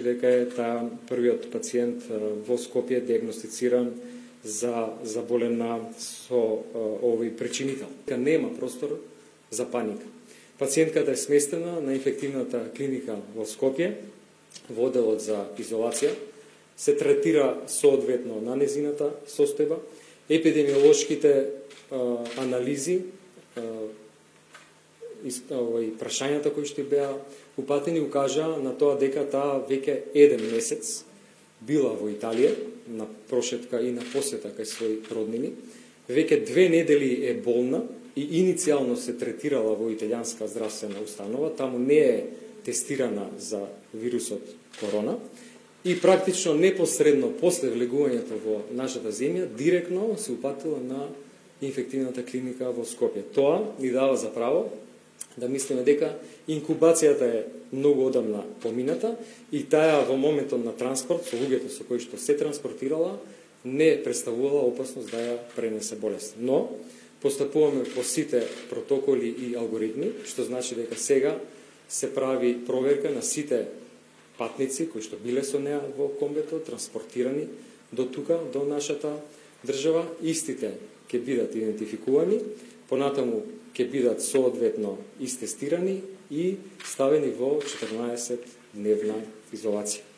дека е таа првиот пациент во Скопје диагностициран за заболена со овој причинител. Нема простор за паника. Пациентката е сместена на инфективната клиника во Скопје, во одделот за изолација, се третира соодветно на незината состојба, епидемиолошките анализи, прашањата кои што беа упатени укажаа на тоа дека таа веќе 1 месец била во Италија на прошетка и на посета кај своји роднини, веќе 2 недели е болна и иницијално се третирала во италијанска здравствена установа, таму не е тестирана за вирусот корона и практично непосредно после влегувањето во нашата земја директно се упатила на инфективната клиника во Скопје. Тоа ни дава за право да мислиме дека инкубацијата е многу одамна помината и таа во моментот на транспорт со луѓето со кои што се транспортирала не представувала опасност да ја пренесе болест. Но постапуваме по сите протоколи и алгоритми, што значи дека сега се прави проверка на сите патници кои што биле со неа во комбето, транспортирани до тука, до нашата држава. Истите ќе бидат идентификувани, понатаму ќе бидат соодветно истестирани и ставени во 14-дневна изолација.